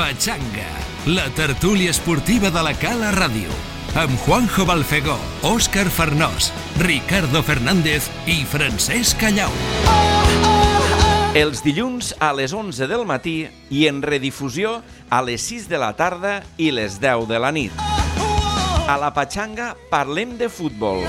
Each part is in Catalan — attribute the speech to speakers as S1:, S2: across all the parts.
S1: Pachanga, la tertúlia esportiva de la Cala Ràdio, amb Juanjo Balfegó, Òscar Farnós, Ricardo Fernández i Francesc Callau.
S2: Els dilluns a les 11 del matí i en redifusió a les 6 de la tarda i les 10 de la nit. A la Pachanga parlem de futbol.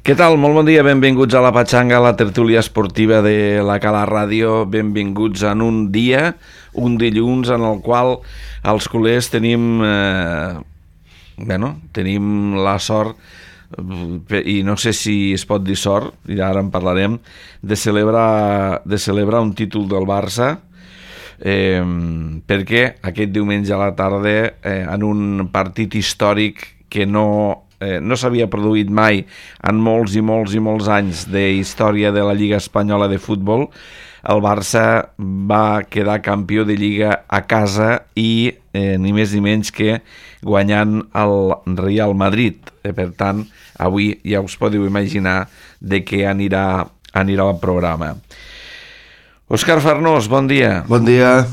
S2: Què tal? Molt bon dia, benvinguts a la Pachanga, la tertúlia esportiva de la Cala Ràdio. Benvinguts en un dia, un dilluns en el qual els culers tenim la sort, i no sé si es pot dir sort, i ara en parlarem, de celebrar un títol del Barça, perquè aquest diumenge a la tarda, en un partit històric que no s'havia produït mai en molts i molts anys de història de la Lliga Espanyola de Futbol, el Barça va quedar campió de Lliga a casa i ni més ni menys que guanyant el Real Madrid. Per tant, avui ja us podeu imaginar de què anirà el programa. Òscar Farnós, bon dia.
S3: Bon dia.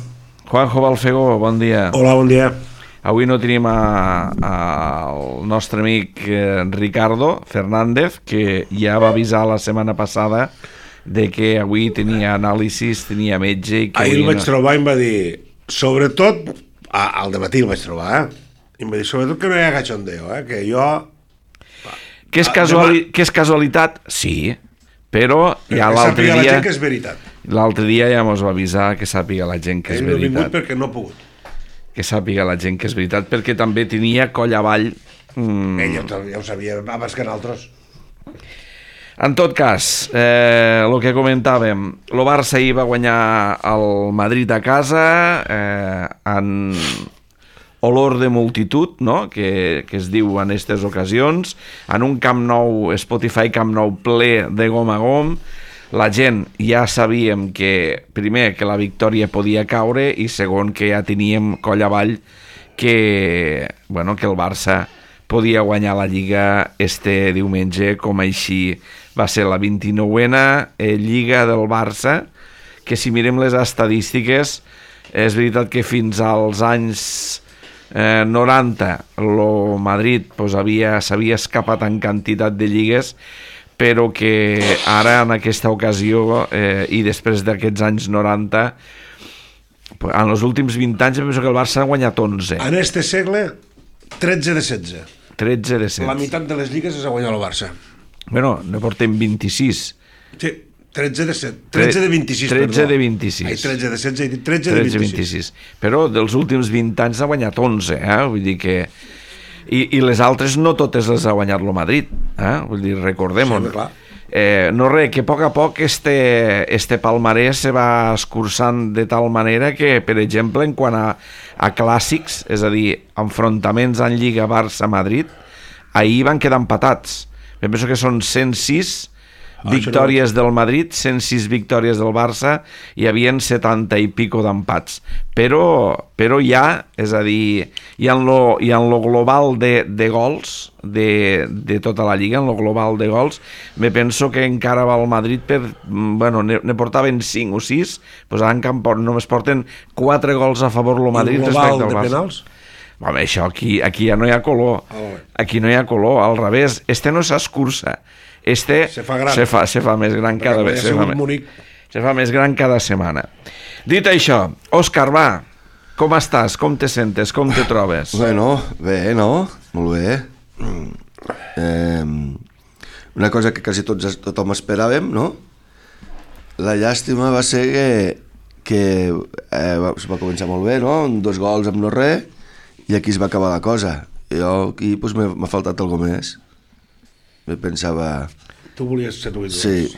S2: Juanjo Balfegó, bon dia.
S3: Hola, bon dia.
S2: Avui no tenim el nostre amic Ricardo Fernández, que ja va avisar la setmana passada de que avui tenia anàlisis, tenia metge...
S3: Ahir el vaig trobar i em va dir, sobretot, al dematí el vaig trobar, i em va dir, sobretot que no hi ha cachondeo, que jo...
S2: Que és casualitat? Sí, però ja l'altre dia...
S3: Que sàpiga la gent que és veritat.
S2: L'altre dia ja mos va avisar que sàpiga la gent que és veritat.
S3: Ell no ha vingut perquè no ha pogut.
S2: Que sàpiga la gent que és veritat, perquè també tenia coll avall.
S3: Ell ja ho sabia abans que nosaltres.
S2: En tot cas, el que comentàvem, el Barça ahir va guanyar el Madrid a casa en olor de multitud, no? que es diu en aquestes ocasions, en un Camp Nou, Spotify Camp Nou ple de gom a gom. La gent ja sabíem que, primer, que la victòria podia caure i segon, que ja teníem coll avall que el Barça podia guanyar la Lliga este diumenge, com així va ser la 29a Lliga del Barça, que si mirem les estadístiques, és veritat que fins als anys 90 el Madrid s'havia escapat en quantitat de lligues, però que ara, en aquesta ocasió, i després d'aquests anys 90, en els últims 20 anys, penso que el Barça ha guanyat 11.
S3: En este segle, 13 de 16.
S2: 13 de 16.
S3: La meitat de les lligues és a guanyar el Barça.
S2: Bueno, ne portem 26.
S3: Sí, 13 de 7. 13 de 26,
S2: 13 de 26.
S3: Ai, 13 de 16, he dit 13 de 26.
S2: Però dels últims 20 anys ha guanyat 11, vull dir que... I les altres no totes les ha guanyat el Madrid, vull dir, recordem-ho.
S3: Sí, clar.
S2: No res, que a poc este palmarès se va escurçant de tal manera que, per exemple, en quant a clàssics, és a dir, enfrontaments en Lliga Barça-Madrid, ahir van quedar empatats. Penso que són 106 victòries del Madrid, 106 victòries del Barça, hi havia 70 i pico d'empats. Però ja, és a dir, i en lo global de gols de tota la Lliga, en lo global de gols, me penso que encara va el Madrid ne portaven 5 o 6, doncs ara només porten 4 gols a favor el Madrid respecte al Barça.
S3: El global de penals?
S2: Home, això aquí ja no hi ha color. Aquí no hi ha color, al revés. Este no s'escurça. Se fa més gran cada vegada. Se fa més gran cada setmana. Dit això, Òscar, va, com estàs? Com te sentes? Com te trobes?
S4: Bueno, bé, no? Molt bé. Una cosa que quasi tothom esperàvem, no? La llàstima va ser que es va començar molt bé, no? 2 gols amb no res, i aquí es va acabar la cosa. Jo aquí m'ha faltat alguna més. Pensava...
S3: Tu volies ser tu.
S4: Sí.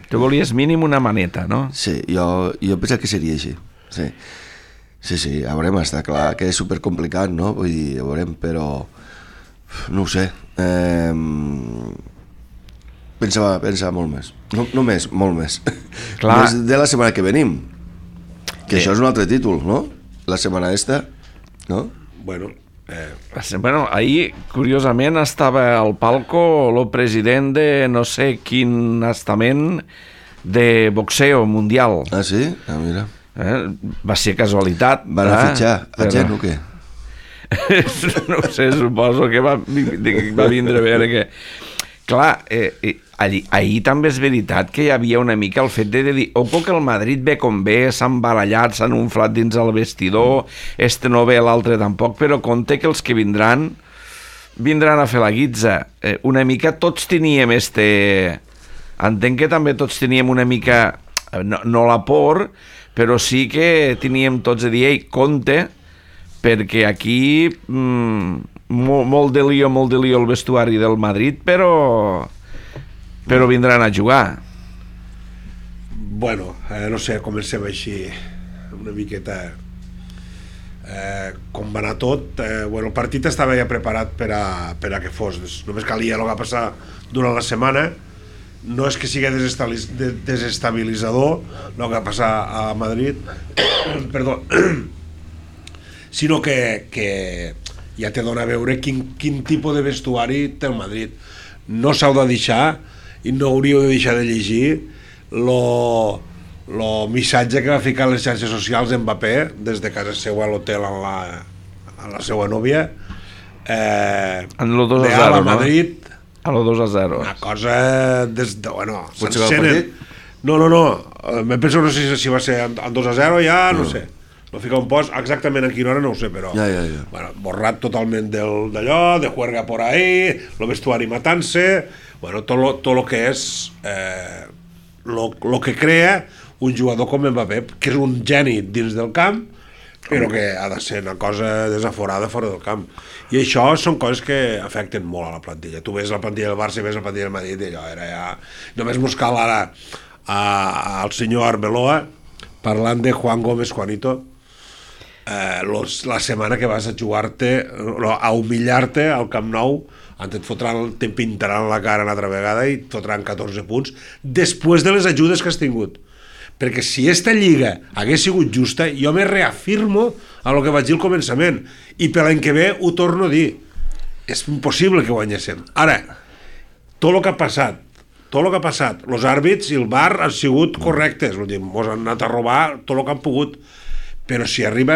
S2: Tu volies mínim una maneta, no?
S4: Sí, jo pensava que seria així. Sí, ja veurem, està clar que és supercomplicat, no? Vull dir, ja veurem, però... No ho sé. Pensava molt més. No més, molt més.
S2: Clar.
S4: Més de la setmana que venim. Que això és un altre títol, no? La setmana esta, no?
S3: Bueno,
S2: ahir, curiosament, estava al palco el president de no sé quin estament de boxeo mundial.
S4: Ah, sí? Ah, mira.
S2: Va ser casualitat.
S4: Van a fitxar a gent o què?
S2: No ho sé, suposo que va vindre a veure que... Clar, ahir també és veritat que hi havia una mica el fet de dir ojo que el Madrid ve com ve, s'han barallat, s'han unflat dins el vestidor, no ve, l'altre tampoc, però compte que els que vindran a fer la guitza. Una mica tots teníem entenc que també tots teníem una mica, no la por, però sí que teníem tots a dir, ei, compte, perquè aquí molt de lío el vestuari del Madrid, però vindran a jugar.
S3: Bueno, no sé, comencem així una miqueta com va anar tot. Bueno, el partit estava ja preparat per a que fos, només calia el que va passar durant la setmana. No és que sigui desestabilitzador el que va passar a Madrid, perdó, sinó que ja te dona a veure quin tipus de vestuari té el Madrid. No s'heu de deixar i no hauríeu de deixar de llegir el missatge que va ficar a les xarxes socials Mbappé des de casa seva a l'hotel a la seva nòvia,
S2: en lo 2-0,
S3: a la Madrid,
S2: a lo 2-0.
S3: una cosa des de... Bueno,
S4: pot ser el partit?
S3: No, me penso, no sé si va ser en 2-0 ja, no sé. No fica un post, exactament a quina hora no ho sé, però
S4: ja.
S3: Bueno, borrat totalment d'allò, de juerga por ahí, el vestuari matant-se, bueno, tot lo que és lo que crea un jugador com Mbappé, que és un geni dins del camp, però que ha de ser una cosa desaforada fora del camp. I això són coses que afecten molt a la plantilla. Tu ves la plantilla del Barça i ves la plantilla del Madrid i allò era ja... Només buscar ara al senyor Arbeloa parlant de Juan Gómez Juanito, la setmana que vas a jugar-te, a humillar-te al Camp Nou, te pintaran la cara una altra vegada i et fotran 14 punts després de les ajudes que has tingut. Perquè si esta lliga hagués sigut justa, jo me reafirmo a lo que vaig dir al començament, i per l'any que ve ho torno a dir, és impossible que guanyéssim. Ara, tot el que ha passat, els àrbits i el VAR han sigut correctes, ens han anat a robar tot el que han pogut, però si arriba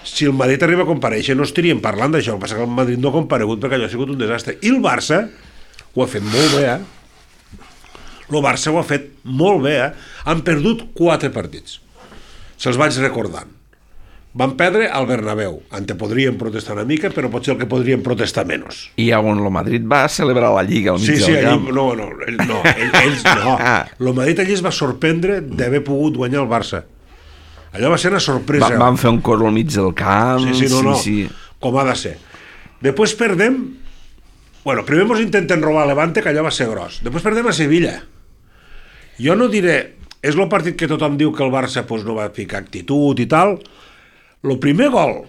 S3: si el Madrid arriba a comparèixer no estaríem parlant d'això. El que passa que el Madrid no ha comparegut perquè allò ha sigut un desastre, i el Barça ho ha fet molt bé, el Barça ho ha fet molt bé, han perdut 4 partits, se'ls vaig recordant. Van perdre al Bernabéu, on podrien protestar una mica, però potser el que podrien protestar menys.
S2: I on el Madrid va celebrar la Lliga al mig del camp.
S3: Ells no. El Madrid allí es va sorprendre d'haver pogut guanyar el Barça. Allò va ser una sorpresa.
S2: Van fer un cor al mig del camp.
S3: Sí. Com ha de ser. Després perdem... Bueno, primer ens intenten robar a Levante, que allò va ser gros. Després perdem a Sevilla. Jo no diré... És el partit que tothom diu que el Barça no va ficar actitud i tal. El primer gol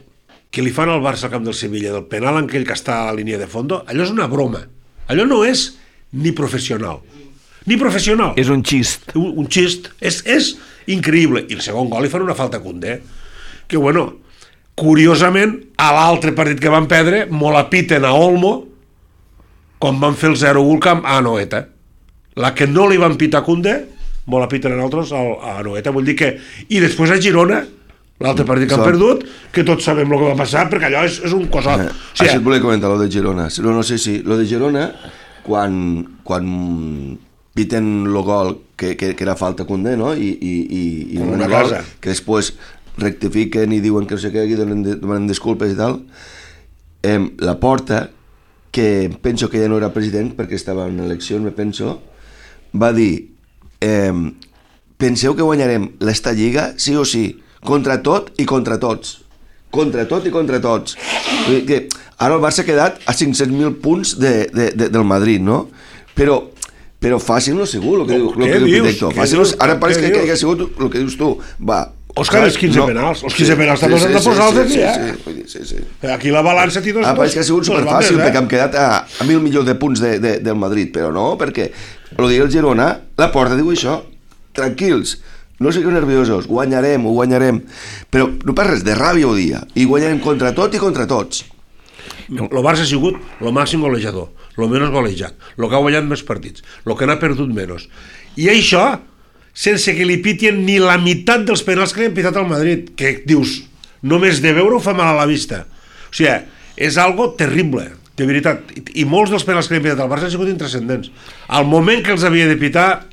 S3: que li fan al Barça al camp del Sevilla, del penal en aquell que està a la línia de fondo, allò és una broma. Allò no és ni professional. Ni professional.
S2: És un xist.
S3: Un xist. És increïble. I el segon gol li fan una falta a Koundé. Que, bueno, curiosament, a l'altre partit que van perdre, molt apiten a Olmo, com van fer el 0-1 camp a Anoeta. La que no li van pitar a Koundé, molt apiten a nosaltres a Anoeta. Vull dir que... I després a Girona, l'altre partit que han perdut, que tots sabem el que va passar, perquè allò és un cosot.
S4: Això et volia comentar, lo de Girona. No sé si... Lo de Girona, quan piten el gol, que era falta Koundé, no? I
S3: una
S4: gol
S3: cosa.
S4: que després rectifiquen i diuen que no sé què, i donen disculpes i tal. La Porta, que penso que ja no era president, perquè estava en elecció, me penso, va dir penseu que guanyarem l'esta lliga sí o sí, contra tot i contra tots. Contra tot i contra tots. Que ara el Barça ha quedat a 500.000 punts del Madrid, no? Però fàcil-lo segur, el que diu Pitecto. Ara pareix que ha sigut el que dius tu. Va,
S3: Òscar, els 15 penals. Els 15 penals també s'han de posar els aquí,
S4: Sí.
S3: Aquí la balança té dos...
S4: Pareix que ha sigut superfàcil, perquè hem quedat a 1.000 milions de punts del Madrid, però no, perquè el dia del Girona, la Porta diu això, tranquils, no sigueu nerviosos, ho guanyarem, però no per res, de ràbia ho dia, i guanyarem contra tot i contra tots.
S3: El Barça ha sigut el màxim golejador, el menys golejat, el que ha guanyat més partits, el que n'ha perdut menys. I això, sense que li pitien ni la meitat dels penals que li han pitat al Madrid, que dius, només de veure-ho fa mal a la vista. O sigui, és algo terrible, de veritat. I molts dels penals que li han pitat al Barça han sigut intrascendents. Al moment que els havia de pitar,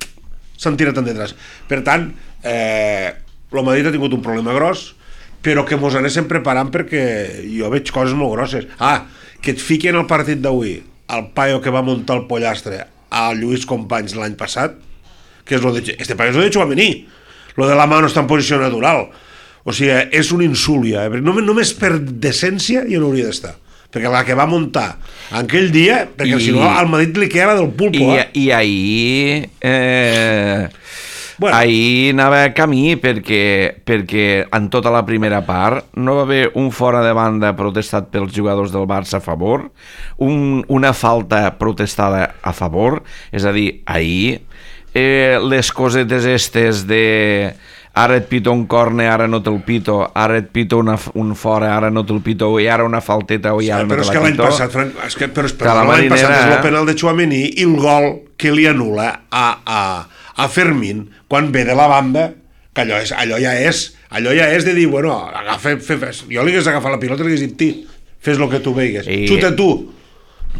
S3: s'han tirat endetrás. Per tant, el Madrid ha tingut un problema gros, però que mos anéssim preparant perquè jo veig coses molt grosses. Que et fiquen al partit d'avui el paio que va muntar el pollastre a Lluís Companys l'any passat, que és lo de... Este paio és lo de Tchouaméni, lo de la mà no està en posició natural. O sigui, és un insult ja, només per decència jo no hauria d'estar, perquè la que va muntar aquell dia, perquè si no al Madrid li queda la del pulpo.
S2: I ahir ahir anava a camí perquè en tota la primera part no va haver un fora de banda protestat pels jugadors del Barça a favor, una falta protestada a favor, és a dir, ahir les cosetes estes de ara et pito un corne, ara no te'l pito, ara et pito un fora, ara no te'l pito, i ara una falteta, i ara no te la pito.
S3: Però és que l'any passat, Frank, l'any passat és el penal de Tchouaméni i el gol que li anul·la a Fermín quan ve de la banda, que allò ja és de dir, bueno, jo li hagués agafat la pilota i li hagués dit, fes el que tu veigues,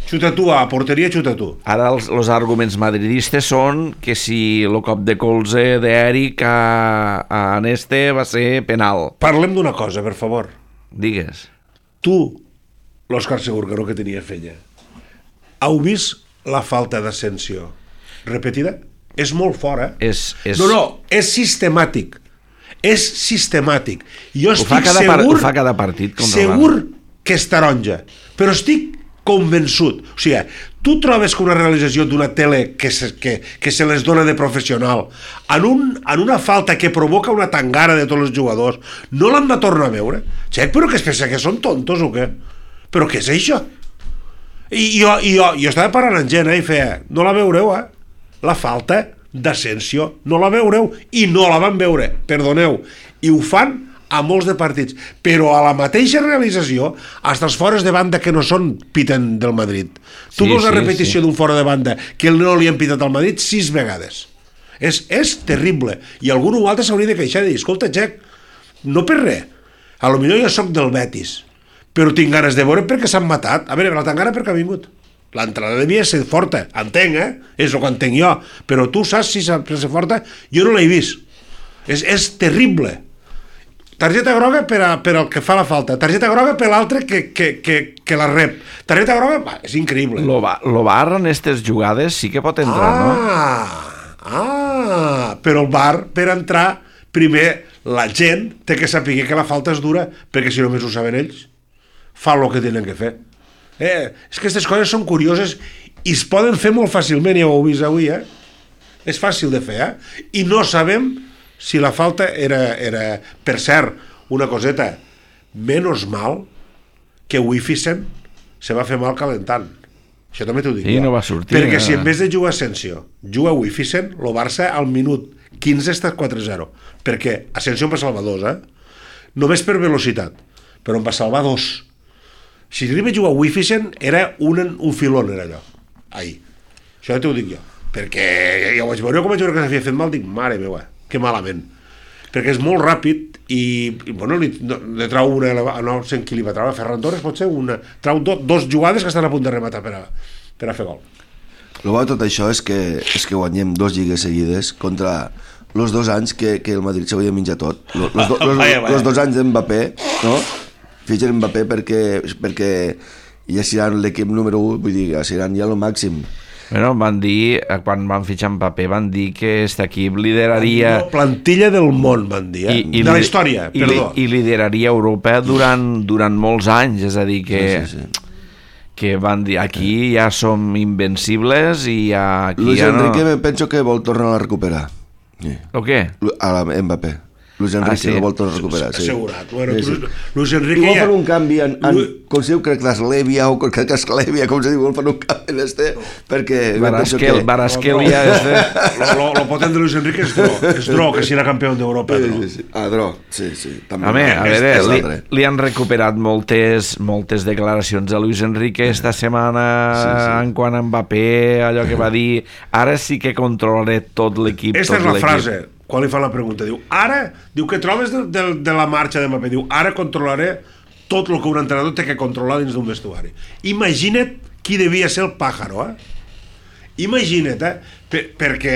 S3: xuta tu, a porteria xuta tu.
S2: Ara els arguments madridistes són que si el cop de colze d'Eric a Neste va ser penal.
S3: Parlem d'una cosa, per favor.
S2: Digues.
S3: Tu, l'Òscar Segurgaró, que tenia fenya, heu vist la falta d'Asensio repetida? És molt fora. No, és sistemàtic. És sistemàtic. Jo estic
S2: ho fa cada partit.
S3: Segur que és taronja, però estic convençut. O sigui, tu trobes que una realització d'una tele que se les dona de professional en una falta que provoca una tangara de tots els jugadors, no l'han de tornar a veure? Però que es pensa que són tontos o què? Però què és això? I jo estava parlant amb gent i feia, no la veureu, la falta d'Asensio no la veureu, i no la van veure, perdoneu, i ho fan a molts de partits, però a la mateixa realització, fins els fores de banda que no són piten del Madrid. Tu veus la repetició d'un fora de banda que no li han pitat al Madrid 6 vegades. És terrible, i algun altre s'hauria de queixar i dir, escolta, Jack, no per res, a lo millor jo soc del Betis, però tinc ganes de veure perquè s'han matat. A veure, la tangana perquè ha vingut. L'entrada devia ser forta, entenc, és el que entenc jo, però tu saps si s'ha ser forta? Jo no l'he vist. És terrible. Targeta groga per al que fa la falta, targeta groga per l'altre que la rep, targeta groga, és increïble.
S2: Lo VAR en aquestes jugades sí que pot entrar, no?
S3: Però el VAR, per entrar, primer la gent té que saber que la falta és dura, perquè si només ho saben ells, fan el que tenen que fer. És que aquestes coses són curioses i es poden fer molt fàcilment, ja ho heu vist avui, és fàcil de fer, i no sabem si la falta era... Per cert, una coseta, menys mal que Wifisen se va fer mal calentant. Això també t'ho dic.
S2: I no va sortir.
S3: Perquè si en vez de jugar Asensio, juga Wifisen, el Barça al minut 15 està 4-0. Perquè Asensio en va salvar 2, només per velocitat, però en va salvar 2. Si arriba a jugar Wifisen era un filón, era allò, ahir. Això ja t'ho dic jo, perquè ja ho vaig veure, com vaig veure que s'havia fet mal, dic, mare meva, que malament, perquè és molt ràpid i bueno, li trau una, no sé qui li va treure, Ferran Torres pot ser, trau dos jugades que estan a punt de rematar per a fer gol.
S4: El bo de tot això és que guanyem 2 lligues seguides contra els 2 anys que el Madrid s'havia menjat tot, els 2 anys d'Mbappé, no? Fitxen Mbappé perquè ja seran l'equip número 1, vull dir, seran ja el màxim.
S2: Bueno, van dir, quan van fitxar Mbappé, van dir que aquest equip lideraria...
S3: Plantilla del món, van dir, de la història, perdó.
S2: I lideraria Europa durant molts anys, és a dir, que van dir, aquí ja som invencibles i aquí
S4: Luis
S2: ja no...
S4: Enrique penso que vol tornar a recuperar.
S2: O què?
S4: A Mbappé. Luis Enrique el vol tornar a recuperar.
S3: Assegurat. Bueno,
S4: Sí.
S3: Luis Enrique
S4: Igual
S3: ja...
S4: fan un canvi com se diu, crec que l'Eslèvia o crec que Esclèvia, com se diu, vol fer un canvi en perquè...
S2: Barasquelia és de...
S3: Lo potent de Luis Enrique és Dro, que serà campió d'Europa.
S4: Sí. Dro, sí. També.
S2: A veure, li han recuperat moltes declaracions a Luis Enrique esta setmana en quant a Mbappé, allò que va dir, ara sí que controlaré tot l'equip.
S3: Esta és la frase, quan li fan la pregunta, diu que trobes de la marxa de Mbappé, diu, ara controlaré tot el que un entrenador té que controlar dins d'un vestuari. Imagina't qui devia ser el pàjaro, Imagina't, perquè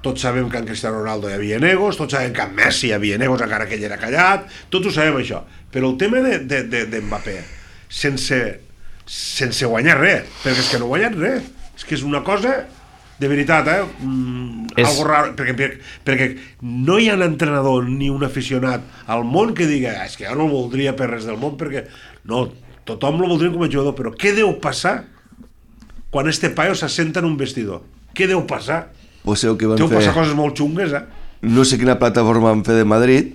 S3: tots sabem que en Cristiano Ronaldo hi havia negos, tots sabem que en Messi hi havia negos encara que ell era callat, tots ho sabem això, però el tema de Mbappé sense guanyar res, perquè és que no ha guanyat res, és que és una cosa de veritat, algo raro, perquè no hi ha un entrenador ni un aficionat al món que diga, és que jo no el voldria per res del món, perquè no, tothom el voldria com a jugador, però què deu passar quan este paio s'assenta en un vestidor? Què deu passar? Deu passar coses molt xungues,
S4: No sé quina plataforma van fer de Madrid,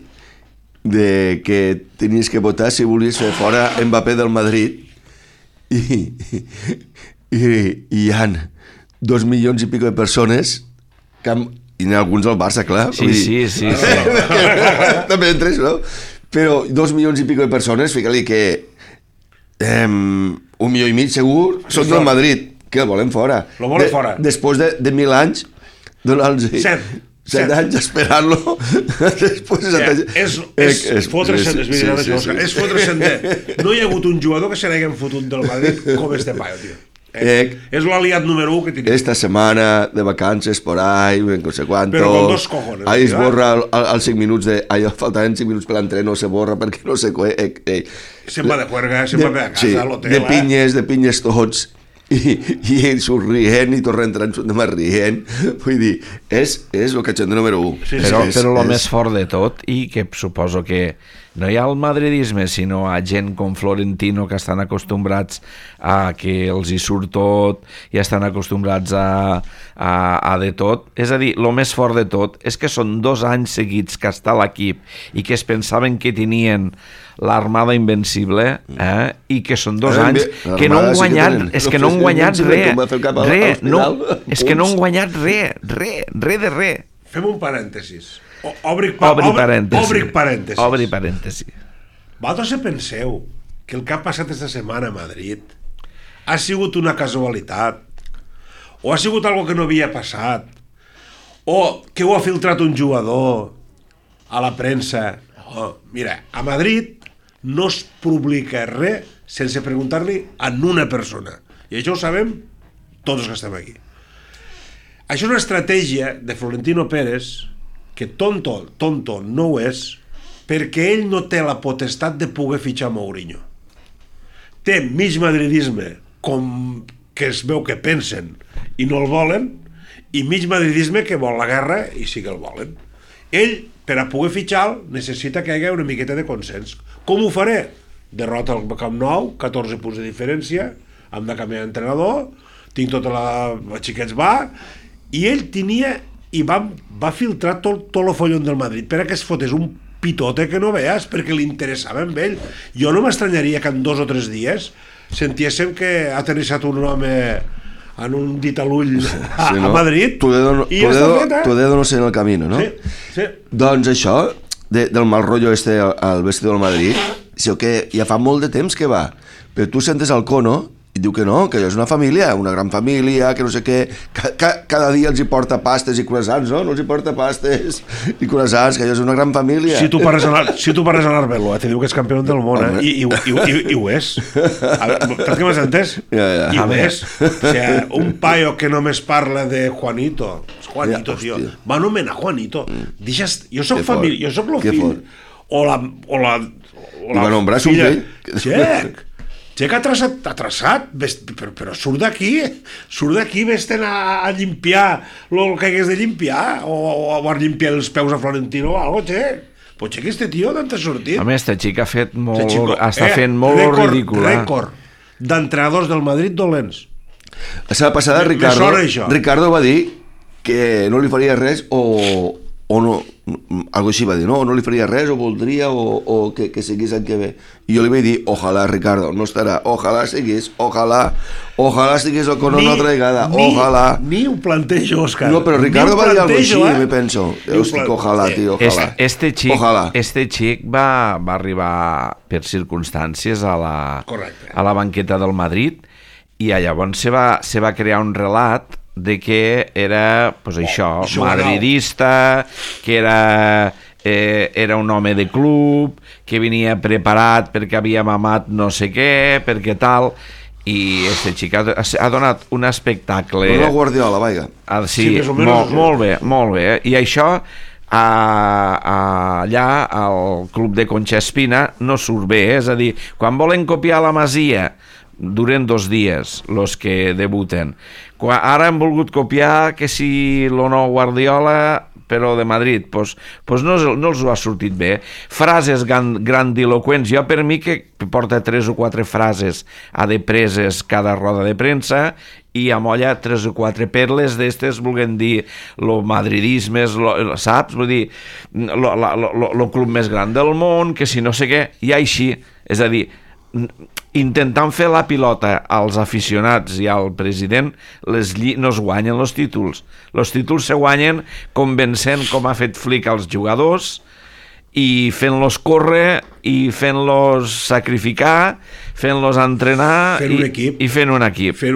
S4: de que tenies que votar si volies fer fora Mbappé del Madrid, i hi ha 2 milions i pico de persones i n'hi ha alguns al Barça, clar.
S2: Sí.
S4: També entres, no? Però 2 milions i pico de persones, fica-li que 1,5 milió segur són del Madrid, que el volen fora.
S3: Lo volen fora.
S4: Després de 1.000 anys, donant-los 7 anys esperant-lo.
S3: És fotre-se'n, és fotre-se'n de... No hi ha hagut un jugador que se n'hagin fotut del Madrid com este paio, tio. És l'aliat número 1 que tenim.
S4: Esta setmana de vacances por ahí, no sé cuánto.
S3: Però con 2 cojones.
S4: Ahí es borra als 5 minuts de... faltaven 5 minuts per l'entreno, se borra perquè no sé...
S3: Se'n va de juerga, se'n va a casa, a l'hotel.
S4: De pinyes tots. I ell surt rient i torna entrant de més rient. Vull dir, és el catxon de número 1.
S2: Però el més fort de tot, i que suposo que no hi ha el madridisme, sinó a gent com Florentino, que estan acostumbrats a que els hi surt tot i estan acostumbrats a de tot. És a dir, el més fort de tot és que són 2 anys seguits que està l'equip i que es pensaven que tenien l'armada invencible, i que són 2 anys que no han guanyat, és que no han guanyat res, és que no han guanyat res de res.
S3: Fem un parèntesis. Obri parèntesis. Vosaltres penseu que el que ha passat esta setmana a Madrid ha sigut una casualitat, o ha sigut algo que no havia passat, o que ho ha filtrat un jugador a la premsa? Mira, a Madrid no es publica res sense preguntar-li a una persona, i això ho sabem tots els que estem aquí. Això és una estratègia de Florentino Pérez, que tonto no ho és, perquè ell no té la potestat de poder fitxar Mourinho. Té mig madridisme, com que es veu que pensen i no el volen, i mig madridisme que vol la guerra i sí que el volen. Ell, per a poder fitxar, necessita que hi hagi una miqueta de consens. Com ho faré? Derrota al Camp Nou, 14 punts de diferència, hem de canviar d'entrenador, tinc tota la xiquets i ell tenia i va filtrar tot el follon del Madrid per a que es fotés un pitote que no veus, perquè li interessava amb ell. Jo no m'estranyaria que en 2 o 3 dies sentíssim que ha aterrissat un home en un dit a l'ull a Madrid i ja està fet,
S4: Tu dedo no sé en el camino, no?
S3: Sí.
S4: Doncs això del mal rotllo al vestidor del Madrid, sí, que ja fa molt de temps que va, però tu sentes el Cono i diu que no, que és una família, una gran família, que no sé què, cada dia els hi porta pastes i croissants, no? No els hi porta pastes i croissants, que és una gran família.
S3: Si tu parles a l'Arbelo, te diu que és campió del món, i ho és. Per què m'has entès? I ho és. O sigui, un paio que només parla de Juanito, tio, va anomenar Juanito. Jo soc família, jo soc el fill, o la
S4: va nombrar un fill.
S3: Xec ha traçat, però surt d'aquí vés-te'n a llimpar el que hagués de llimpar, o a llimpar els peus a Florentino o alguna cosa, Xec. Però Xec, este tio, d'on t'ha sortit?
S2: A més, este xic està fent molt ridícul.
S3: Rècord d'entrenadors del Madrid dolents.
S4: La setmana passada Ricardo va dir que no li faria res o o no, algo així va dir, no li faria res, o voldria, o que seguís en què ve. I jo li vaig dir, ojalà, Ricardo, no estarà, ojalà seguís, ojalà seguís el Cono una altra vegada, ojalà.
S3: Ni ho plantejo, Òscar.
S4: No, però Ricardo va dir alguna cosa així, me penso. Hosti, ojalà, tio, ojalà.
S2: Este xic va arribar per circumstàncies a la banqueta del Madrid, i llavors se va crear un relat de que era, pues això, madridista, que era un home de club, que venia preparat perquè havia mamat no sé què, perquè tal, i este xic ha donat un espectacle...
S4: Una Guardiola, vaiga.
S2: Sí, molt bé. I això allà al club de Concha Espina no surt bé, és a dir, quan volen copiar la Masia duren 2 dies los que debuten. Ara han volgut copiar que si lo nou Guardiola, però de Madrid, pues no els ho ha sortit bé. Frases grandiloquents, jo per mi que porta 3 o 4 frases a de preses cada roda de premsa i amolla 3 o 4 perles d'estes volent dir lo madridisme, saps? Vull dir, lo club més gran del món, que si no sé què, i així, és a dir, intentant fer la pilota als aficionats i al president, no es guanyen els títols se guanyen convencent, com ha fet Flick als jugadors, i fent-los córrer i fent-los sacrificar, fent-los entrenar i fent un equip
S3: de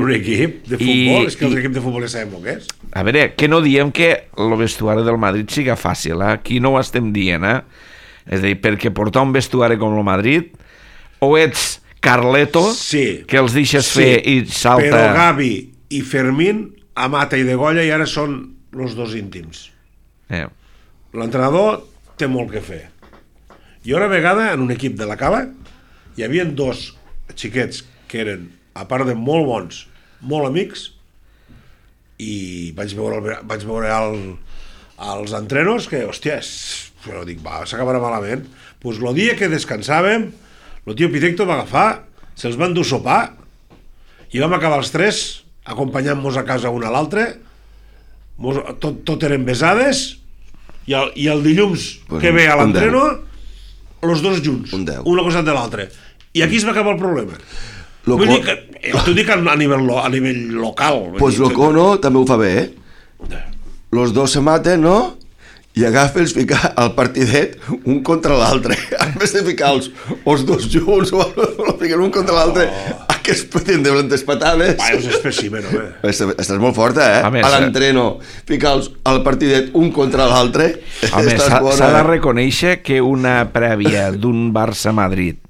S3: futbol, és que els equips de futbol ja sabem el que és.
S2: A veure, que no diem que el vestuari del Madrid siga fàcil, aquí no ho estem dient, és a dir, perquè portar un vestuari com el Madrid, o ets Carleto, que els deixes fer i salta...
S3: Però Gavi i Fermín, a mata i de golla, i ara són els 2 íntims. L'entrenador té molt que fer. I una vegada, en un equip de la Cava, hi havia 2 xiquets que eren, a part de molt bons, molt amics, i vaig veure als entrenos que, hòstia, però dic, s'acabarà malament. Doncs el dia que descansàvem, el tio Pitecto va agafar, se'ls van dur sopar, i vam acabar els 3 acompanyant-nos a casa un a l'altre, tot eren besades, i el dilluns que ve a l'entreno, els 2 junts, una cosa de l'altra. I aquí es va acabar el problema. T'ho dic a nivell local.
S4: Pues lo Cono també ho fa bé, Los 2 se maten, no? I agafa els ficar al partidet un contra l'altre. En vez de ficar els 2 junts o ficar un contra l'altre, que es tindre les patades.
S3: És espècimen, home.
S4: Estàs molt forta, A l'entreno, ficar al partidet un contra l'altre.
S2: Home, s'ha de reconèixer que una prèvia d'un Barça-Madrid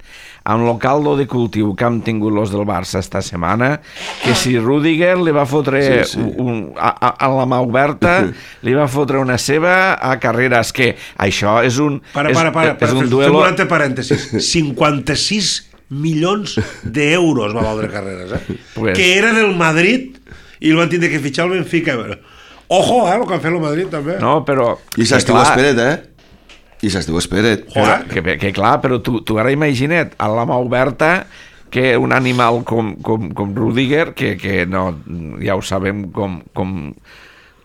S2: amb el caldo de cultiu que han tingut los del Barça esta setmana, que si Rüdiger li va fotre a la mà oberta, li va fotre una seva a Carreras, que això és un duelo...
S3: Fem un parèntesis. 56 milions d'euros va valdre Carreras, que era del Madrid i el van tindre que fitxar al Benfica. Ojo, el que han fet el Madrid també.
S2: No, però...
S4: I s'estiu esperet, I s'estiu esperet.
S2: Que clar, però tu ara imagina't a la mà oberta que un animal com Rüdiger, que no, ja ho sabem com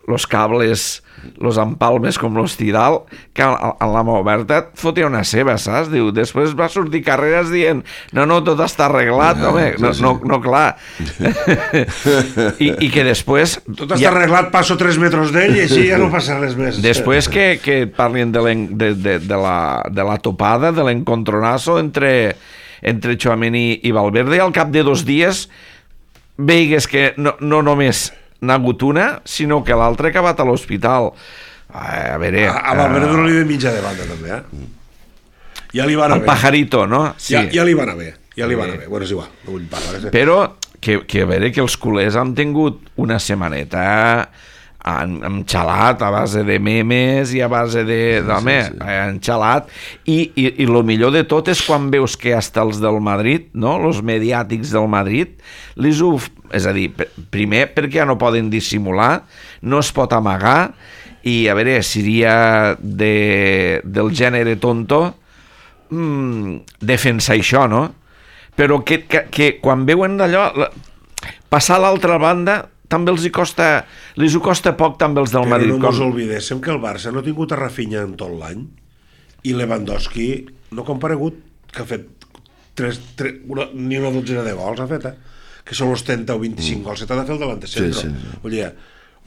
S2: los cables, los empalmes com l'Hostidal, que a la mà oberta et fotia una seva, saps? Diu, després va sortir Carreras dient no, tot està arreglat, home, no, clar. I que després...
S3: Tot està arreglat, passo 3 metres d'ell i així ja no passa res més.
S2: Després que parlin de la topada, de l'encontronazo entre Tchouaméni i Valverde, al cap de 2 dies veigues que no només n'ha hagut una, sinó que l'altra ha acabat a l'hospital. A veure...
S3: A Valverde no li ve mitja de banda, també, Ja li va anar bé.
S2: El pajarito, no? Sí.
S3: Ja li va anar bé. Bueno, és igual, no vull parlar.
S2: Però que a veure que els culers han tingut una setmaneta han xalat a base de memes i a base de... han xalat. I el millor de tot és quan veus que hasta els del Madrid, no?, els mediàtics del Madrid, és a dir, primer perquè ja no poden dissimular, no es pot amagar, i a veure, seria del gènere tonto defensar això, no? Però que quan veuen d'allò, passar a l'altra banda també els ho costa poc també els del
S3: Però
S2: Madrid.
S3: no mos oblidéssim que el Barça no ha tingut a Rafinha en tot l'any i Lewandowski no ha comparegut, que ha fet ni una dotzena de gols ha fet, que són els 30 o 25 gols que t'ha de fer el delantecentro.
S4: Sí.
S3: Vull dir,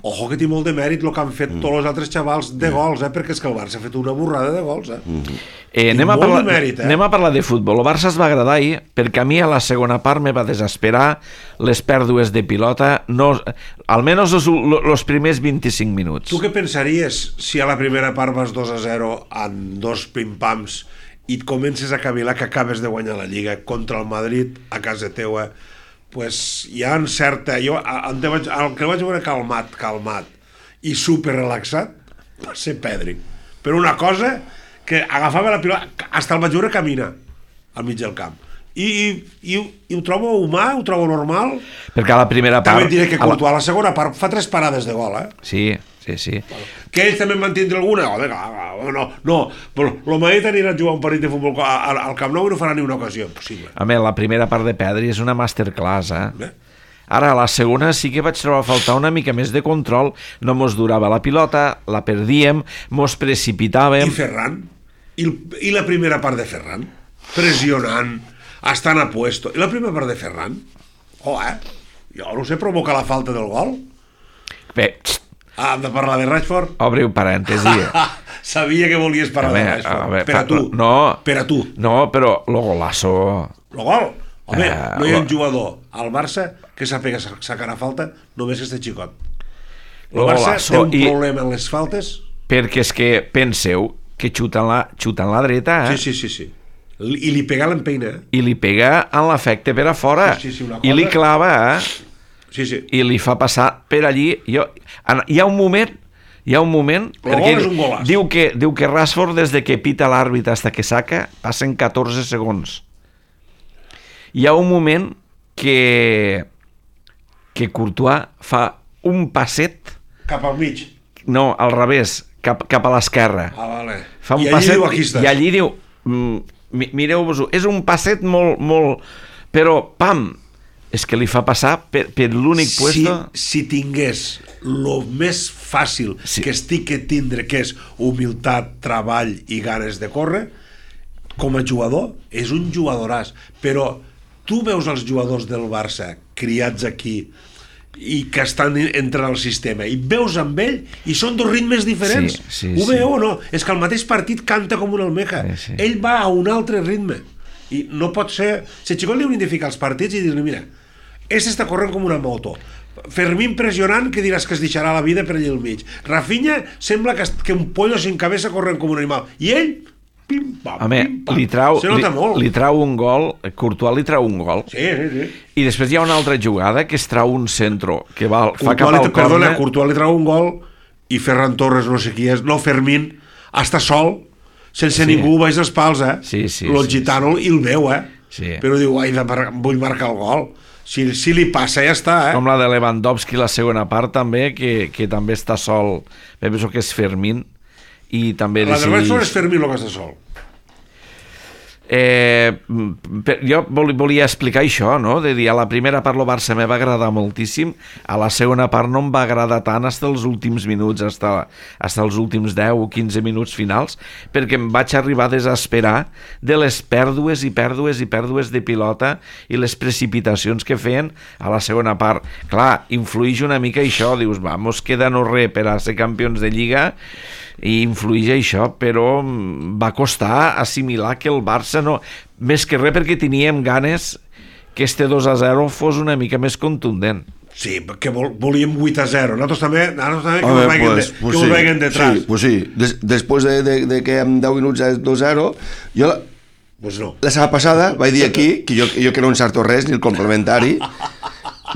S3: ojo que té molt de mèrit el que han fet tots els altres xavals de gols, perquè és que el Barça ha fet una borrada de gols.
S2: Anem a parlar de futbol. El Barça es va agradar ahir perquè a mi a la segona part me va desesperar les pèrdues de pilota, no, almenys els primers 25 minuts.
S3: Tu què pensaries si a la primera part vas 2-0 en dos pim-pams i et comences a cavilar que acabes de guanyar la Lliga contra el Madrid a casa teua? Pues hi ha certa... Jo el que vaig veure calmat i super relaxat va ser Pedri. Però una cosa que agafava la pilota, hasta el vaig veure caminar al mig del camp. I ho trobo humà, ho trobo normal.
S2: Perquè a la primera part...
S3: També et diré que Courtois a la segona part fa 3 parades de gol,
S2: Sí.
S3: Que ells també en van tindre alguna? No, el Madrid anirà a jugar un partit de futbol al Camp Nou i no farà ni una ocasió, impossible.
S2: La primera part de Pedri és una masterclass, Ara, a la segona sí que vaig trobar a faltar una mica més de control, no mos durava la pilota, la perdíem, mos precipitàvem...
S3: I Ferran? I la primera part de Ferran? Pressionant, estant a puesto. I la primera part de Ferran? Jo no sé, provocar la falta del gol?
S2: Bé,
S3: hem de parlar de Rashford?
S2: Obriu parèntesi.
S3: Sabia que volies parlar de Rashford. Per a tu.
S2: No,
S3: per a tu.
S2: No, però lo golazo...
S3: Lo gol? Home, no hi ha un jugador al Barça que sàpiga sacar a falta només este xicot. El Barça té un problema en les faltes.
S2: Perquè és que penseu que xuta en la dreta,
S3: Sí. I li pega l'empeina.
S2: I li pega en l'efecte per a fora.
S3: Sí, una cosa...
S2: I li clava,
S3: Sí.
S2: I li fa passar per allí. Hi ha un moment perquè diu que Rashford des de que pita l'àrbit fins que saca passen 14 segons. Hi ha un moment que Courtois fa un passet
S3: cap al mig.
S2: No, al revés, cap a l'esquerra.
S3: Vale.
S2: Fa un passet, i allí diu mireu-vos-ho, és un passet molt però pam, és que li fa passar per l'únic puesto.
S3: Si tingués el més fàcil que estic que tindre, que és humilitat, treball i ganes de córrer, com a jugador és un jugadoràs, però tu veus els jugadors del Barça criats aquí i que estan entrant al sistema i veus amb ell i són dos ritmes diferents. Ho veieu o no? És que el mateix partit canta com una almeja. Ell va a un altre ritme i no pot ser... Si el xicot li hauríem de ficar els partits i dir-li, mira, està corrent com una moto, Fermín pressionant, que diràs que es deixarà la vida per allà al mig, Rafinha sembla que un pollo sin cabeza corrent com un animal, i ell pim-pam,
S2: se nota molt. Li trau un gol, Courtois li trau un gol.
S3: Sí.
S2: I després hi ha una altra jugada que es trau un centro, que fa cap al córner.
S3: Courtois li trau un gol i Ferran Torres, no sé qui és, no, Fermín, està sol, sense ningú baix dels pals, el gitano i el veu, però diu, vull marcar el gol. Si li passa, ja està,
S2: Com la de Lewandowski, la segona part, també, que també està sol. Penso que és Fermín. I també
S3: la de Rashford és Fermín el que està sol.
S2: Jo volia explicar això, no? De dir, a la primera part el Barça me va agradar moltíssim, a la segona part no em va agradar tant fins els últims minuts, fins els últims 10 o 15 minuts finals, perquè em vaig arribar a desesperar de les pèrdues de pilota i les precipitacions que feien a la segona part. Clar, influïx una mica això, dius, mos queda no res per a ser campions de Lliga, i influïx això, però va costar assimilar que el Barça no... Més que res perquè teníem ganes que este 2-0 fos una mica més contundent.
S3: Sí, perquè volíem 8-0. Nosaltres també que us veguen detrás.
S4: Sí, pues sí. Després de que en 10 minuts és 2-0, jo la setmana passada vaig dir aquí, que jo que no encerto res, ni el complementari,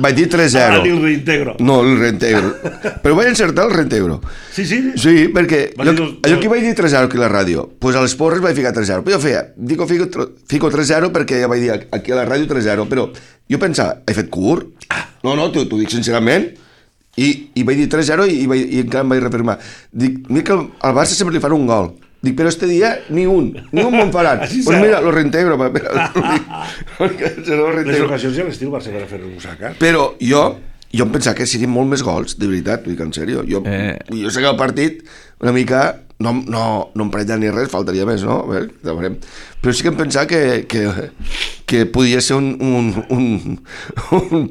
S4: vaig dir 3-0.
S3: Ni el reintegro.
S4: No, el reintegro. Però vaig encertar el reintegro.
S3: Sí?
S4: Sí, perquè allò que vaig dir 3-0 aquí a la ràdio, doncs a les porres vaig ficar 3-0. Però jo fico 3-0 perquè ja vaig dir aquí a la ràdio 3-0, però jo pensava, he fet curt? No, t'ho dic sincerament. I vaig dir 3-0 i encara em vaig reafirmar. Dic, mira que al Barça sempre li fan un gol. Dic, però este dia ni un me'n faran. Doncs mira, lo reintegro. Les
S3: ocasions ja l'estiu Barça per fer un sac,
S4: Però jo jo em pensava que serien molt més gols, de veritat, dic en sèrio. Jo sé que el partit una mica no em parella ni res, faltaria més, no? A veure, però sí que em pensava que podia ser un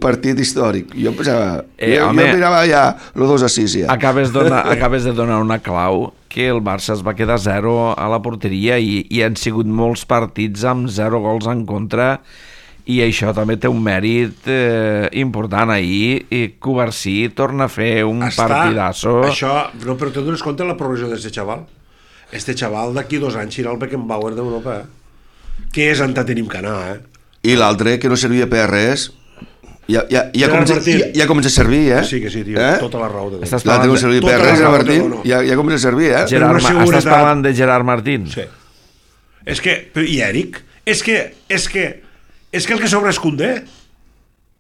S4: partit històric. Jo em pensava... jo mirava ja el 2-6 ja.
S2: Acabes de donar una clau, que el Barça es va quedar 0 a la porteria i han sigut molts partits amb 0 gols en contra, i això també té un mèrit important. Ahir Covarsí torna a fer un partidazo.
S3: Això, no, però te dones compte de la progressió d'aquest xaval? Este xaval d'aquí 2 anys serà el Beckenbauer d'Europa, que és on tenim que anar,
S4: I l'altre, que no servia per res, ja comença a servir,
S3: Sí, que sí, tio, tota la raó.
S4: L'altre no servia per res, Martín, ja comença a servir,
S2: Estàs parlant de Gerard Martín?
S3: Sí. És que, i Eric, és que el que sobra és Koundé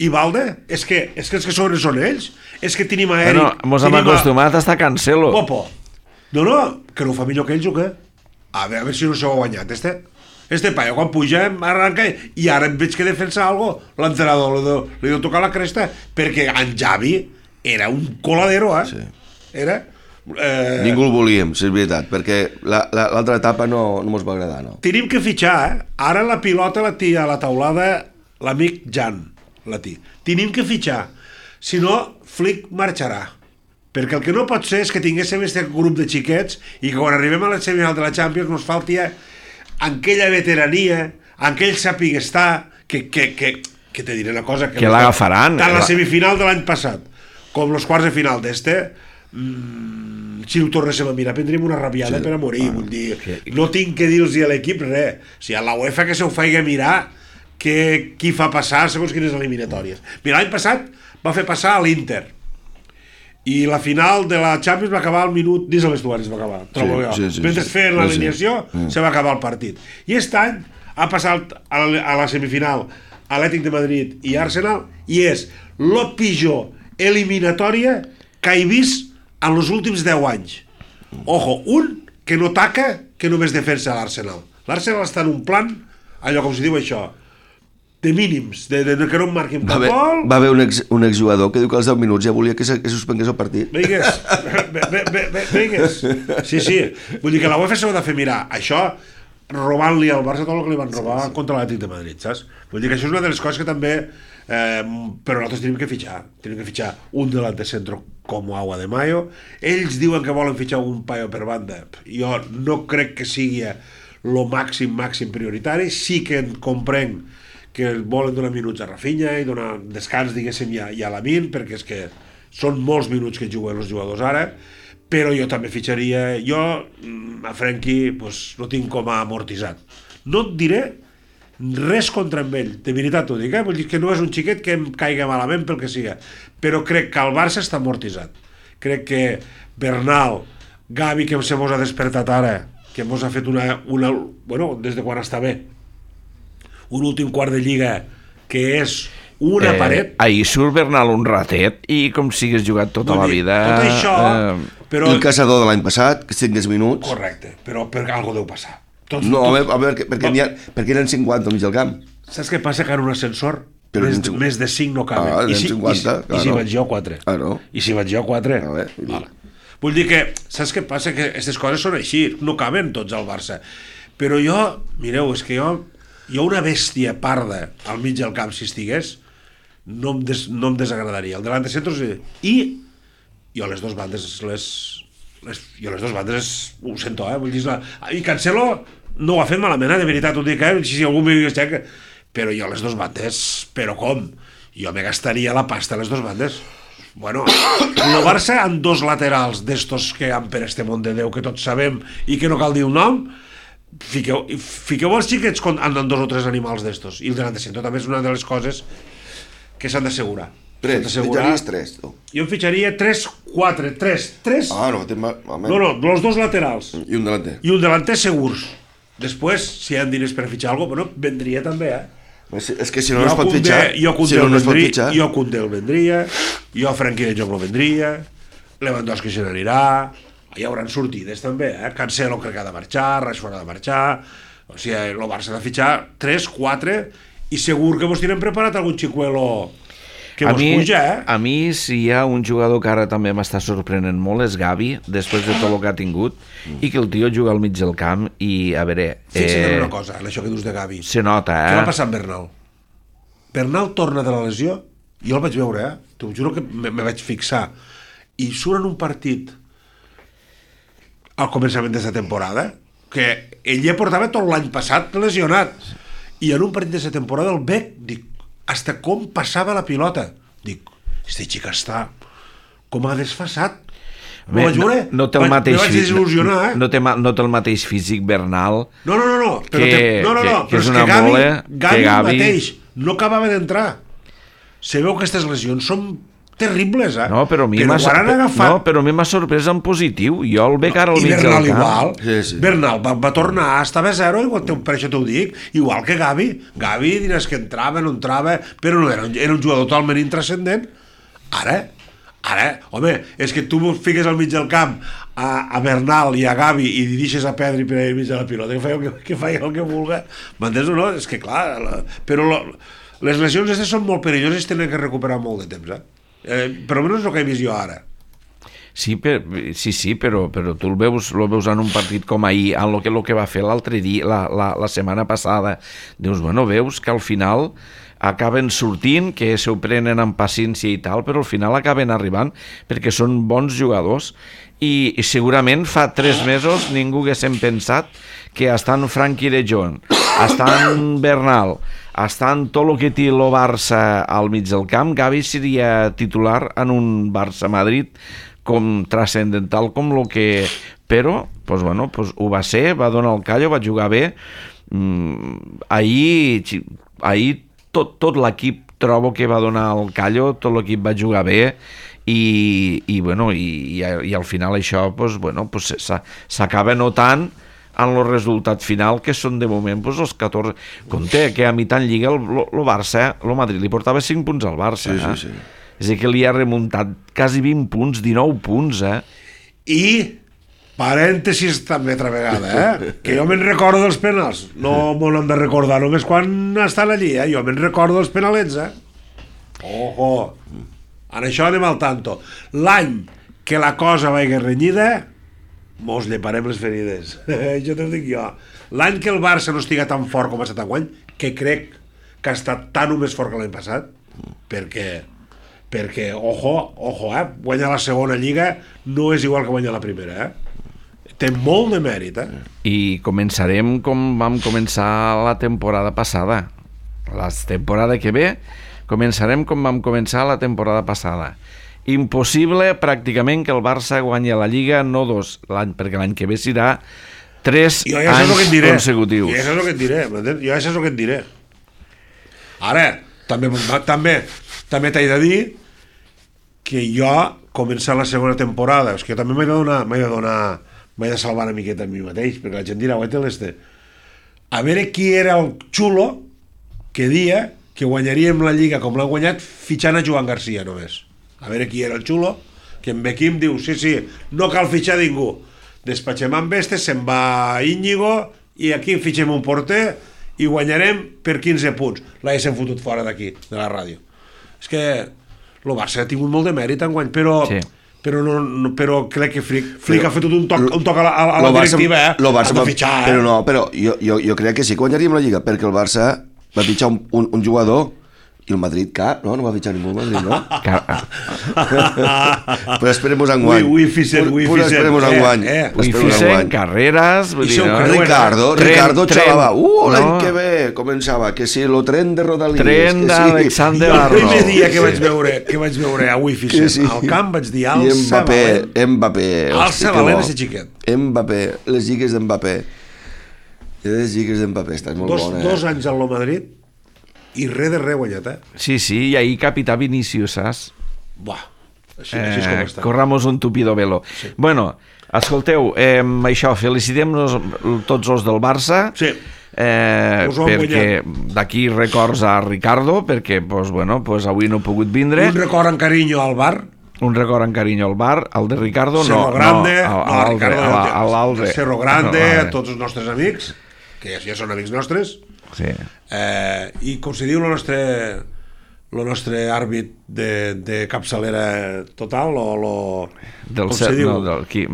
S3: i Balde, és que els que sobren són ells, és que tenim a Eric...
S2: Bueno, mos hem acostumat a estar Cancelo.
S3: Popo. No, que no ho fa millor que ells, o què? A veure si no s'ho ha guanyat, este paio, quan puja, arranca, i ara em veig que defensa algo, l'entrenador li deu tocar la cresta, perquè en Xavi era un coladero,
S4: Sí.
S3: Era...
S4: Ningú el volíem, si és veritat, perquè l'altra etapa no mos va agradar, no?
S3: Tenim que fitxar, Ara la pilota la té a la taulada l'amic Jan, tenim que fitxar, si no, Flick marxarà, perquè el que no pot ser és que tinguéssim aquest grup de xiquets i que quan arribem a la semifinal de la Champions nos falti aquella veterania, aquell sàpiga estar, que te diré una cosa,
S2: que l'agafaran.
S3: Tant la semifinal de l'any passat com els quarts de final si ho tornéssim a mirar prendríem una rabiada per a morir, vull dir, no tinc que dir-los a l'equip res, o sigui, a la UEFA que se ho faci mirar qui fa passar segons quines eliminatòries. Mira, l'any passat va fer passar a l'Inter i la final de la Champions va acabar al minut, dins a vestuari va acabar, trobo jo, mentre feien l'alineació se va acabar el partit, i aquest any ha passat a la semifinal Atlètic de Madrid i Arsenal, i és la pitjor eliminatòria que he vist en els últims 10 anys. Ojo, un que no taca, que només defensa l'Arsenal. L'Arsenal està en un plan, allò com se diu això, de mínims, de que no em marquin cap gol.
S4: Va haver un exjugador que diu que als 10 minuts ja volia que suspengués el partit.
S3: Vingues. Sí. Vull dir que la UEFA s'ha de fer mirar això, robant-li al Barça tot el que li van robar contra l'Atlètic de Madrid, saps? Vull dir que això és una de les coses que també... però nosaltres tenim que fitxar un delant de centro com Agua de Mayo. Ells diuen que volen fitxar un paio per banda, jo no crec que sigui lo màxim prioritari. Sí que comprenc que volen donar minuts a Rafinha i donar descans, diguéssim, i a Lamine, perquè és que són molts minuts que juguen els jugadors ara, però jo també fitxaria, a Frenkie no tinc com a amortitzat. No et diré res contra amb ell, de veritat ho dic, vull dir que no és un xiquet que em caiga malament pel que siga, però crec que el Barça està amortitzat. Crec que Bernal, Gavi, que se mos ha despertat ara, que mos ha fet des de quan està bé, un últim quart de Lliga que és una paret.
S2: Ahir surt Bernal un ratet i com si hagués jugat tota la vida.
S3: Tot això...
S4: El caçador de l'any passat, que 5 minuts...
S3: Correcte, però algo deu passar.
S4: No, a veure, perquè eren 50 al mig del camp.
S3: Saps què passa? Que en un ascensor més de 5 no caben. I si vaig jo 4. I si vaig jo 4. Vull dir que, saps què passa? Que aquestes coses són així, no caben tots al Barça. Però jo, mireu, és que jo una bèstia parda al mig del camp, si estigués, no em desagradaria. El delant de centros i jo les dues bandes ho sento, vull dir, i Cancelo no ho ha fet malament, de veritat ho dic, si algú m'hi digués, però jo les dues bandes, però com? Jo me gastaria la pasta a les dues bandes. Bueno, el Barça amb dos laterals d'estos que han per este món de Déu, que tots sabem i que no cal dir el nom, fiqueu els xiquets amb dos o tres animals d'estos, i el delant de centre també és una de les coses que s'han d'assegurar.
S4: Fitxaries 3, tu.
S3: Jo em fitxaria 3. No, els dos laterals.
S4: I un delanter.
S3: I un delanter segurs. Després, si hi ha diners per fitxar alguna cosa, vendria també,
S4: És que si no es pot fitxar...
S3: Jo Koundé el vendria, jo Frenkie de Jong el vendria, Lewandowski se n'anirà, hi hauran sortides també, Cancelo crec que ha de marxar, Rashford ha de marxar, o sigui, el Barça ha de fitxar 3, 4, i segur que vos tenen preparat algun xicuelo que mos puja,
S2: A mi, si hi ha un jugador que ara també m'està sorprenent molt, és Gavi, després de tot el que ha tingut, i que el tio juga al mig del camp, i a veure...
S3: Fixa't en una cosa, en això que dius de Gavi.
S2: Se nota,
S3: Què va passar amb Bernal? Bernal torna de la lesió, jo el vaig veure, t'ho juro que me vaig fixar, i surt en un partit al començament d'aquesta temporada, que ell ja portava tot l'any passat lesionat, i en un partit d'aquesta temporada el bec, dic, hasta com passava la pilota, dic, este xic està com ha desfasat.
S2: No té el mateix
S3: desil·lusionar,
S2: no té el mateix físic Bernal.
S3: No, però
S2: que és
S3: és
S2: una
S3: que
S2: mole,
S3: Gavi mateix no acabava d'entrar. Se veu que aquestes lesions són terribles,
S2: No, però a mi m'ha sorprès en positiu. Jo el veig ara al mig del camp.
S3: I Bernal igual.
S2: Sí.
S3: Bernal va tornar, estava a zero, per això t'ho dic, igual que Gavi. Gavi, dines que entrava, no entrava, però no era un jugador totalment intrascendent. Ara, home, és que tu fiques al mig del camp a Bernal i a Gavi i dirixes a Pedri per al mig de la pilota, que feia el que vulga. M'entens o no? És que clar, però les lesions aquestes són molt perilloses i tenen que recuperar molt de temps, per almenys el que he vist jo ara.
S2: Sí, però tu el veus en un partit com ahir, en el que va fer l'altre dia, la setmana passada. Dius, bueno, veus que al final acaben sortint, que s'ho prenen amb paciència i tal, però al final acaben arribant perquè són bons jugadors i segurament fa 3 mesos ningú haguéssim pensat que estan Frenkie de Jong, estan Bernal, estant tot el que té el Barça al mig del camp, Gavi seria titular en un Barça-Madrid com transcendental com el que... Però, ho va ser, va donar el callo, va jugar bé. Ahir tot l'equip trobo que va donar el callo, tot l'equip va jugar bé i al final això s'acaba notant en el resultat final, que són de moment els 14. Compte que a mitjà en Lliga el Barça, el Madrid li portava 5 punts al Barça.
S4: Sí.
S2: És a dir, que li ha remuntat quasi 20 punts, 19 punts,
S3: I parèntesis també altra vegada, que jo me'n recordo dels penals, no m'ho hem de recordar només quan estan allí, jo me'n recordo dels penalets, Ojo, en això anem al tanto. L'any que la cosa vagi renyida, mos lleparem les ferides. Jo t'ho dic jo. L'any que el Barça no estiga tan fort com ha estat enguany, que crec que ha estat tan o més fort que l'any passat, perquè ojo, guanyar la segona lliga no és igual que guanyar la primera, té molt de mèrit,
S2: I començarem com vam començar la temporada passada. La temporada que ve començarem com vam començar la temporada passada. Impossible pràcticament que el Barça guanyi la Lliga, no 2 l'any, perquè l'any que ve serà 3 anys consecutius.
S3: Jo això és el que et diré, m'entens? Jo això és el que et diré. Ara, també t'he de dir que jo començar la segona temporada, és que jo també m'he de salvar una miqueta a mi mateix, perquè la gent dirà, a veure qui era el xulo que dia que guanyaríem la Lliga com l'han guanyat fitxant a Joan Garcia només. A veure qui era el xulo, que en Bequim diu, sí, no cal fitxar ningú. Despatxem amb Vestes, se'n va Íñigo, i aquí fitxem un porter i guanyarem per 15 punts. L'haguéssim fotut fora d'aquí, de la ràdio. És que el Barça ha tingut molt de mèrit enguany, però crec que Flick ha fet tot un toc a la directiva, has de fitxar,
S4: Però jo crec que sí que guanyaríem la Lliga, perquè el Barça va fitxar un jugador i el Madrid cap, no va fitxar ningú el Madrid, no? Però esperem-nos enguany.
S2: Uifisen, Carreras...
S4: Ricardo xalava. L'any que ve començava, que si el tren de Rodalies...
S2: Tren d'Alexander Arnold.
S3: El primer dia que vaig veure a Uifisen al camp vaig dir alça valent. Alça valent ese xiquet.
S4: Mbappé, les lligues d'Mbappé. Les lligues d'Mbappé, estàs molt bona.
S3: 2 anys al Madrid i res de res guanyat,
S2: Sí, i ahir capità Vinícius, saps?
S3: Buah, així és com està.
S2: Corramos un tupido velo. Sí. Bueno, escolteu, això, felicitem-nos tots els del Barça, perquè d'aquí records a Ricardo, perquè avui no ha pogut vindre.
S3: Un record en carinyo al bar.
S2: El de Ricardo
S3: Cerro Grande,
S2: l'Alde.
S3: Cerro Grande, a tots els nostres amics, que ja són amics nostres.
S2: Sí.
S3: I com se diu el el nostre àrbit de capçalera total,
S2: Del
S3: com se diu?
S2: Gil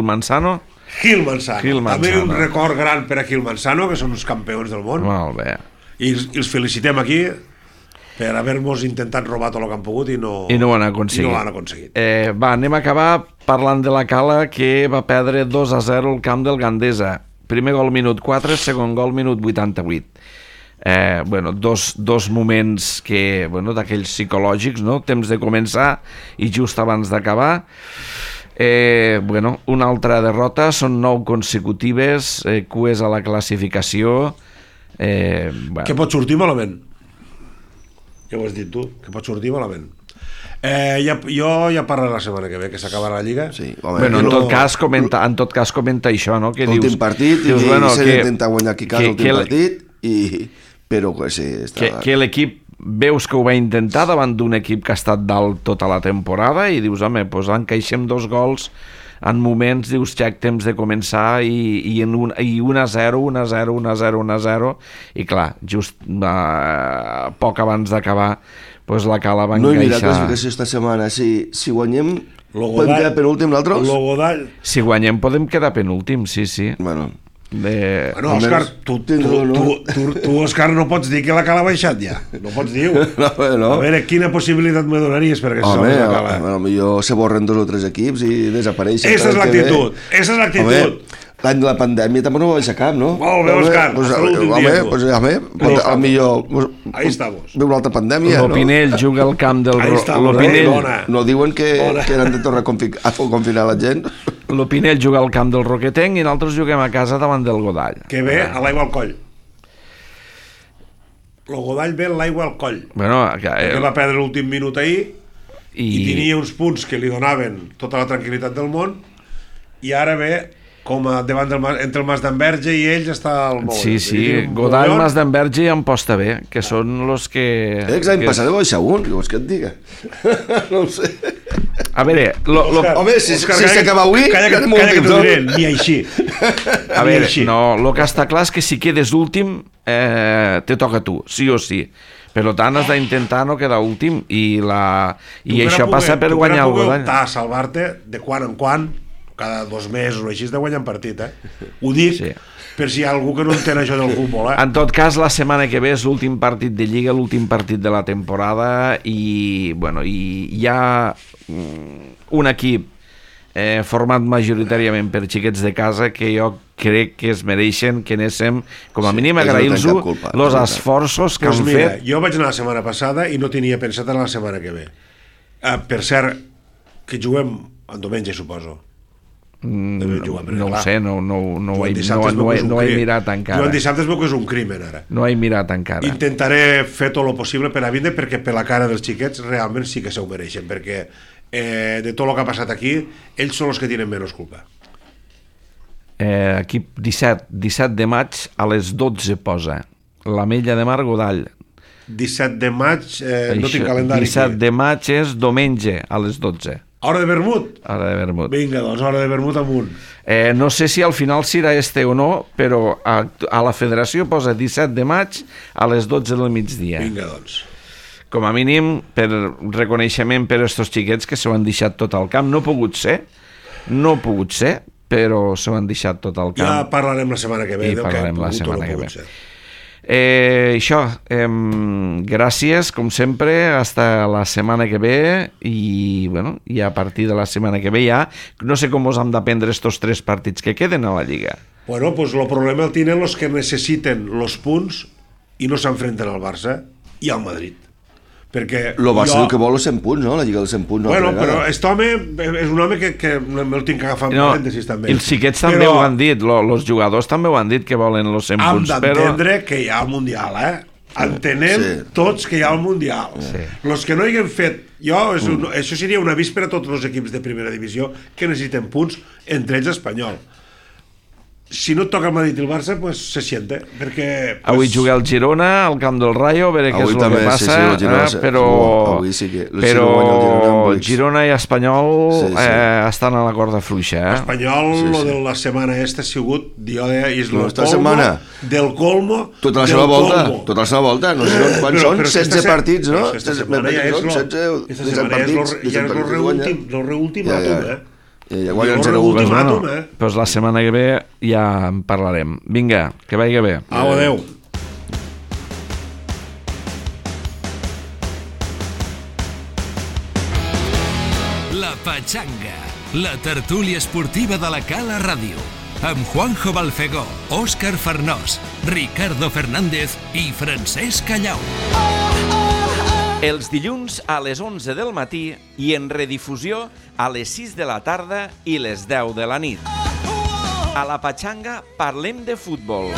S2: Manzano?
S3: Gil Manzano.
S2: Gil
S3: També
S2: Manzano.
S3: un record gran per a Gil Manzano, que són uns campions del món.
S2: Molt bé.
S3: I els felicitem aquí per haver-nos intentat robar tot el que han pogut i no
S2: ho han aconseguit.
S3: I no ho han aconseguit.
S2: Va, anem a acabar parlant de la Cala, que va perdre 2-0 al camp del Gandesa. Primer gol minut 4, segon gol minut 88. Dos moments que, d'aquells psicològics, no? Temps de començar i just abans d'acabar. Una altra derrota, són 9 consecutives, cues a la classificació.
S3: Que pot sortir malament. Ja ho has dit tu, que pot sortir malament. Jo ja parlaré la setmana que ve, que s'acabarà la Lliga.
S4: Sí, home,
S2: en tot cas comenta això, no? Que
S4: l'últim
S2: dius,
S4: partit,
S2: dius,
S4: s'ha d'intentar guanyar aquí casa l'últim partit, però que sí,
S2: que l'equip veus que ho va intentar davant d'un equip que ha estat dalt tota la temporada i dius, home, doncs encaixem 2 gols en moments, dius, xec, temps de començar i 1-0, 1-0, 1-0, 1-0 i clar, just poc abans d'acabar doncs la Cala va encaixar.
S4: No he mirat classificació esta setmana, si guanyem podem quedar penúltim nosaltres?
S3: Si
S2: guanyem podem quedar penúltim, sí.
S4: Bueno,
S3: Òscar, tu, Òscar, no pots dir que la Cala ha baixat ja. No pots dir.
S4: No.
S3: A veure, quina possibilitat me donaries perquè se salvi la Cala?
S4: Potser se borren 2 o 3 equips i desapareixen.
S3: Esa és l'actitud.
S4: L'any de la pandèmia també no va baixar cap, no?
S3: Molt bé, Òscar, hasta l'últim dia.
S4: Al millor
S3: ahí estamos.
S4: Ve una altra pandèmia, no?
S2: L'Opinell juga al camp del
S4: No diuen que han de tornar a confinar la gent?
S2: L'Opinell juga al camp del Roquetenc i nosaltres juguem a casa davant del Godall.
S3: Que ve a l'aigua al coll. El Godall ve a l'aigua al coll. Que va perdre l'últim minut ahir i tenia uns punts que li donaven tota la tranquil·litat del món i ara ve com a davant entre el Mas d'Enverge i ells està al món.
S2: Sí, Godall, Mas d'Enverge i Amposta B, que són els que...
S4: L'any passat va baixar un, què vols que et diga? No ho sé.
S2: A veure...
S4: Home, si s'acaba avui...
S3: Calla que t'ho diré, ni així.
S2: A veure, no, el que està clar és que si quedes últim te toca a tu, sí o sí. Per tant, has d'intentar no quedar últim i això passa per guanyar el Godall.
S3: Tu per a salvar-te de quan en quan, cada 2 mesos o així, de guanyar un partit, Ho dic per si hi ha algú que no entén això del futbol,
S2: En tot cas, la setmana que ve és l'últim partit de Lliga, l'últim partit de la temporada i hi ha un equip format majoritàriament per xiquets de casa que jo crec que es mereixen que anéssim, com a mínim, agrair-los els esforços que han fet.
S3: Jo vaig anar la setmana passada i no tenia pensat anar la setmana que ve. Per cert, que juguem en diumenge, suposo.
S2: No ho sé, no ho he mirat encara.
S3: Jo en dissabte es veu que és un crimen ara.
S2: No he mirat encara.
S3: Intentaré fer tot el possible per a vindre perquè per la cara dels xiquets realment sí que s'ho mereixen, perquè de tot el que ha passat aquí ells són els que tenen menys culpa.
S2: Aquí 17 de maig a les 12 posa l'Ametlla de Mar, Godall.
S3: 17 de maig no tinc calendari
S2: 17 de maig és diumenge a les 12.
S3: Hora de vermut?
S2: Hora de vermut.
S3: Vinga, doncs, hora de vermut amunt.
S2: No sé si al final serà o no, però a la federació posa 17 de maig a les 12 del migdia.
S3: Vinga, doncs.
S2: Com a mínim, per reconeixement per estos xiquets que s'ho han deixat tot al camp. No ha pogut ser, però s'ho han deixat tot al camp.
S3: Ja parlarem la setmana que ve del que ha pogut o no pogut ser.
S2: Això, gràcies com sempre, hasta la setmana que ve i a partir de la setmana que ve ja no sé com us hem d'aprendre estos 3 partits que queden a la Lliga.
S3: Bueno, pues el problema el tenen los que necessiten los punts i no s'enfrenten al Barça i al Madrid. Perquè
S4: el Barça el que vol és 100 punts, no? La Lliga dels 100 punts.
S3: Bueno, però aquest home és un home que me'l tinc que agafar amb parèntesis també.
S2: Els xiquets també ho han dit, els jugadors també ho han dit que volen els 100 punts.
S3: Hem d'entendre que hi ha el Mundial, Entenem tots que hi ha el Mundial. Els que no hi hem fet... Això seria un avís per a tots els equips de primera divisió que necessiten punts, entre ells Espanyol. si no et toca el Madrid i el Barça, pues se siente, perquè... Pues...
S2: Avui juga el Girona al camp del Rayo, a veure què és el que passa, però
S4: avui sí que...
S2: Però Girona i Espanyol estan a la corda fluixa.
S3: Espanyol, lo de la setmana esta ha sigut, és el
S4: colmo
S3: del colmo
S4: tota la seva volta, no sé quan són 16 partits, no?
S3: Esta setmana ja és el reúltim,
S4: ja guanyen 0-1.
S2: Doncs la setmana que ve ja en parlarem. Vinga, que vagi bé.
S3: Adéu.
S1: La Pachanga, la tertúlia esportiva de la Cala Ràdio, amb Juanjo Balfegó, Òscar Farnós, Ricardo Fernández i Francesc Callau. Els dilluns a les 11 del matí i en redifusió a les 6 de la tarda i les 10 de la nit. A la Pachanga parlem de futbol.